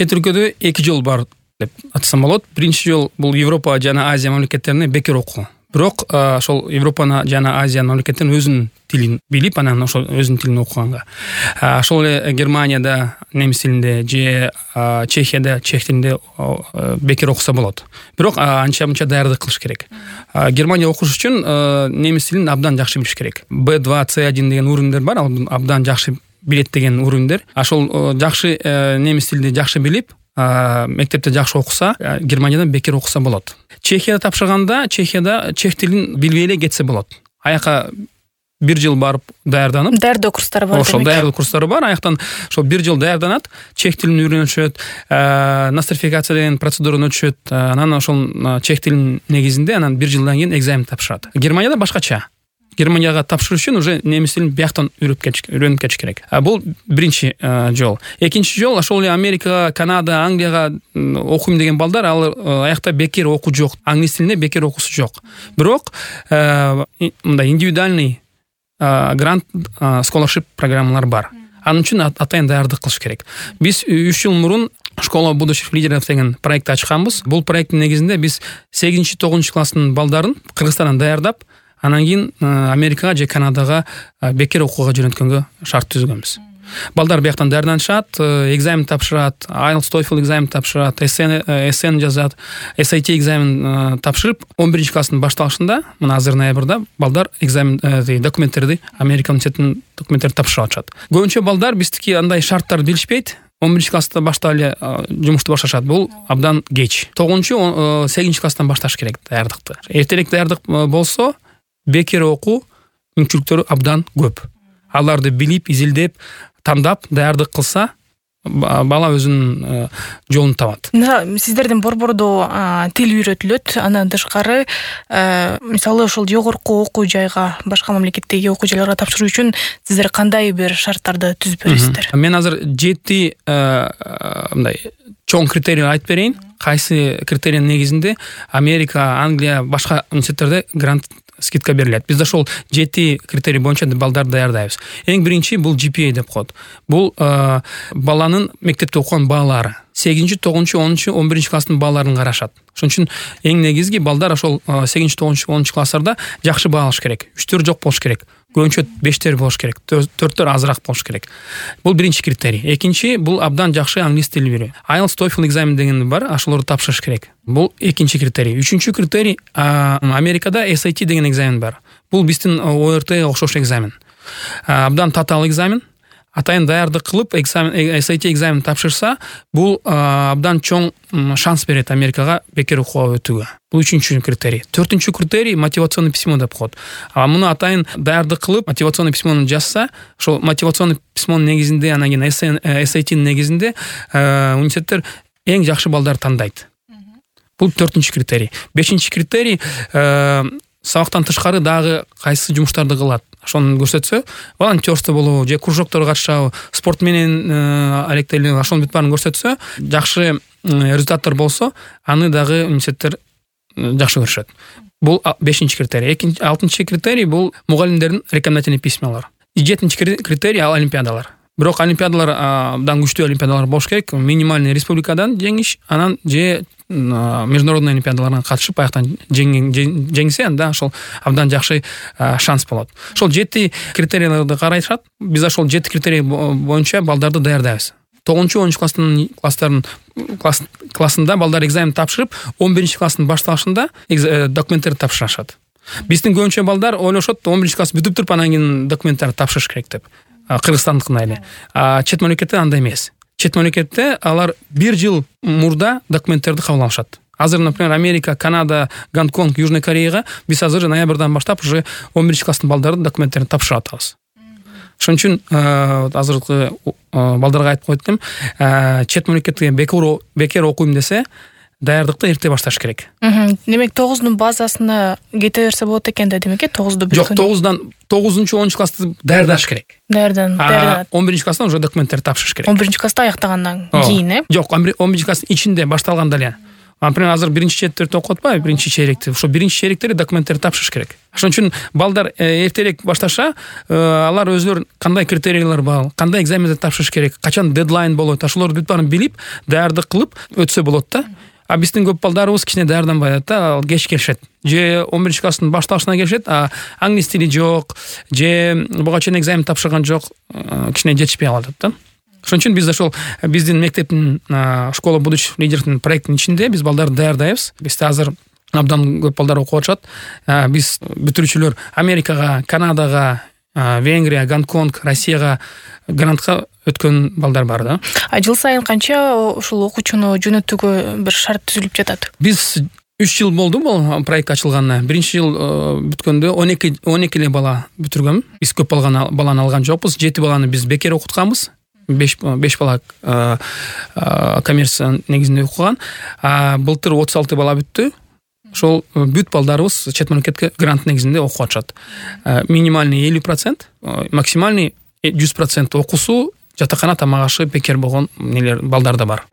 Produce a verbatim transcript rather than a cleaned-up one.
чет өлкөдө эки жол бар деп атасам болот. Биринчи жол бул Европа жана Азия мамлекеттерине бекер окуу. Бирок ошол Европаны жана Азия мамлекеттеринин өзүнүн тилин билип, анан ошол өзүнүн тилин окуганга. Ошол эле Германияда немис тилинде же Чехияда чех тилинде бекер окуса болот. Бирок анча-мынча даярдык кылыш керек. Германия окуш үчүн немис тилин абдан жакшы билиш керек. бэ два цэ один деген уровеньдер бар, абдан жакшы билет деген уровеньдер. Ошол жакшы немис тилинде жакшы билип, мектепте жакшы окуса, Германиядан бекер окуса болот. Чехияда тапшырганда, Чехияда чех тилин билбей эле кетсе болот. Аяка бир жыл барып даярданып, даярдоо курстары бар. Ошол даярдоо курстары бар. Аяктан ошол бир жыл даярданат, чех тилин үйрөнүшөт, нострификация деген процедураны өтүшөт. Анан ошол чех тилинин негизинде анан бир жылдан кийин экзамен тапшырат. Германияда башкача. Германияга тапшырыш үчүн уже немис тилин бияктан үйрөнүп кетиш керек. Бул биринчи жол. Экинчи жол ошол эле Америка, Канада, Англияга окуйм деген балдар, ал аякта бекер окуу жок. Англис тилинде бекер окуусу жок. Бирок мындай индивидуальный грант scholarship программалар бар. Анын үчүн атайын даярдык кылыш керек. Биз үч жыл мурун школа будущих лидеров деген проект ачканбыз. Бул проекттин негизинде биз сегизинчи тогузунчу класстын балдарын Кыргызстандан даярдап, анан кийин Америкага же Канадага бекер окууга жөнөткөнгө шарт түзгөнбүз. Балдар бияктан даярданышат, экзамен тапшырат, айлтс, TOEFL экзамен тапшырат, эссен жазат, эс эй ти экзамен тапшырып, он биринчи класстын башталышында, мына азыр ноябрда балдар экзамен документтерди, Америка университетинин документтерин тапшырып атышат. Көбүнчө балдар биздики андай шарттарды билишпейт. он биринчи класста баштап эле жумушту башташат. Бул абдан кеч. тогузунчу, сегизинчи класстан башташ керек даярдыкты. Эртерээк даярдык болсо, бекер окуу мүмкүнчүлүктөрү абдан көп. Аларды билип, изилдеп, тандап даярдык кылса, бала өзүнүн жолун табат. Сиздердин борбордо тил үйрөтүлөт, андан тышкары, мисалы ошол жогорку окуу жайга, башка мамлекеттеги окуу жайларга тапшыруу үчүн сиздер кандай бир шарттарды түзүп бересиздер? Мен азыр жети мындай чоң критерий айтып берейин. Кайсы критериянын негизинде Америка, Англия, башка университеттерде грант скидка берилет. Биз ошол жети критерий боюнча балдарды даярдайбыз. Эң биринчи бул джи пи эй деп коет. Бул баланын мектепте окуган баалары. сегизинчи, тогузунчу, онунчу, он биринчи класстын бааларын карашат. Ошон үчүн эң негизги балдар ошол сегизинчи, тогузунчу, онунчу класстарда жакшы баа алыш керек. үчтөр жок болуш керек. Көбүнчө бештер болуш керек. төрттөр азыраак болуш керек. Бул биринчи критерий. Экинчи бул абдан жакшы англис тили билүү. айлтс, TOEFL экзамен деген бар, ошолорду тапшырыш керек. Бул экинчи критерий. Үчүнчү критерий Америкада эс эй ти деген экзамен бар. Бул биздин о эр тиге окшош экзамен. Абдан татаал экзамен. Атайын даярдык кылып, эс эй ти экзамен тапшырса, бул абдан чоң шанс берет Америкага бекер окууга өтүүгө. Бул үчүнчү критерий. Төртүнчү критерий мотивационный письмо деп коет. А муну атайын даярдык кылып, мотивационный письмону жазса, ошол мотивационный письмонун негизинде, анан кийин эс эй тинин негизинде университеттер эң жакшы балдар тандайт. Бул төртүнчү критерий. Бешинчи критерий сабактан тышкары дагы кайсы жумуштарды кылат. Ошону көрсөтсө, волонтерство болобу, же кружокторго катышабы, спорт менен алектелүү, ошонун бүт баарын көрсөтсө, жакшы результаттар болсо, аны дагы университеттер жакшы көрүшөт. Бул бешинчи критерий. Экинчи, алтынчы критерий бул мугалимдердин рекомендательный письмалары. Жетинчи критерий ал олимпиадалар. Бирок олимпиадалар абдан күчтүү олимпиадалар болуш керек. Минимальный республикадан жеңиш, анан же международный олимпиадаларга катышып, аяктан жеңсе, анда ошол абдан жакшы шанс болот. Ошол жети критерийлерди карашат. Биз ошол жети критерий боюнча балдарды даярдайбыз. тогузунчу, онунчу класстын класстарын классында балдар экзамен тапшырып, он биринчи класстын башталышында документтерди тапшырышат. Биздин көбүнчө балдар ойлошот, он биринчи класс бүтүп туруп анан кийин документтерди тапшырыш керек деп. Кыргызстандыкындай эле. А чет мамлекетте андай эмес. Чет мамлекетте алар бир жыл мурда документтерди кабыл алышат. Азыр, например, Америка, Канада, Гонконг, Южный Кореяга биз азыр ноябрдан баштап уже он биринчи класстын балдарын документтерин тапшырып атабыз. Ошон үчүн азыркы балдарга айтып койдум, чет мамлекетте бекер окуйм десе, даярдыкты эрте башташ керек. Демек тогуздун базасына кете берсе болот экен да, демек, тогузду бүткөн. Жок, тогуздан тогузунчу, онунчу классты даярдаш керек. Даярдан, даярдан. он биринчи класстан уже документтерди тапшырыш керек. он биринчи класста аяктагандан кийин, э? Жок, он биринчи класстын ичинде башталганда эле. Например, азыр биринчи четиртте окуп атпайбы, биринчи чейректи. Ошо биринчи чейректерде документтерди тапшырыш керек. Ошон үчүн балдар эртерээк башташа, алар өзлөрү кандай критерийлер бар, кандай экзамендерди тапшырыш керек, качан дедлайн болот, ошолорду бүт баарын билип, даярдык кылып өтсө болот да. А биздин көп балдарыбыз кичине даярданбай атат да, ал кеч келишет. Же он биринчи класстын башталышына келишет, а англис тили жок, же буга чейин экзамен тапшырган жок, кичине жетишпей калат да. Ошон үчүн биз ошол биздин мектептин школа будущих лидеров проекттин ичинде биз балдарды даярдайбыз. Бизде азыр абдан көп балдар окуп атышат. Биз бүтүрүүчүлөр Америкага, Канадага, Венгрия, Гонконг, Россияга грантка өткөн балдар бар да. А жыл сайын канча ушул окуучуну жөнөтүүгө бир шарт түзүлүп жатат? Биз үч жыл болду бул проект ачылганына. Биринчи жыл бүткөндө он эки он эки эле бала бүтүргөн. Биз көп баланы алган жокпуз. жети баланы биз бекер окутканбыз. беш бала коммерция негизинде окуган. А былтыр отуз алты бала бүттү. Ошол бүт балдарыбыз чет мамлекетке грант негизинде окуп атышат. Минимальный элүү процент, максимальный жүз процент окуусу жатакана тамак ашы бекер болгон нелер балдар да бар.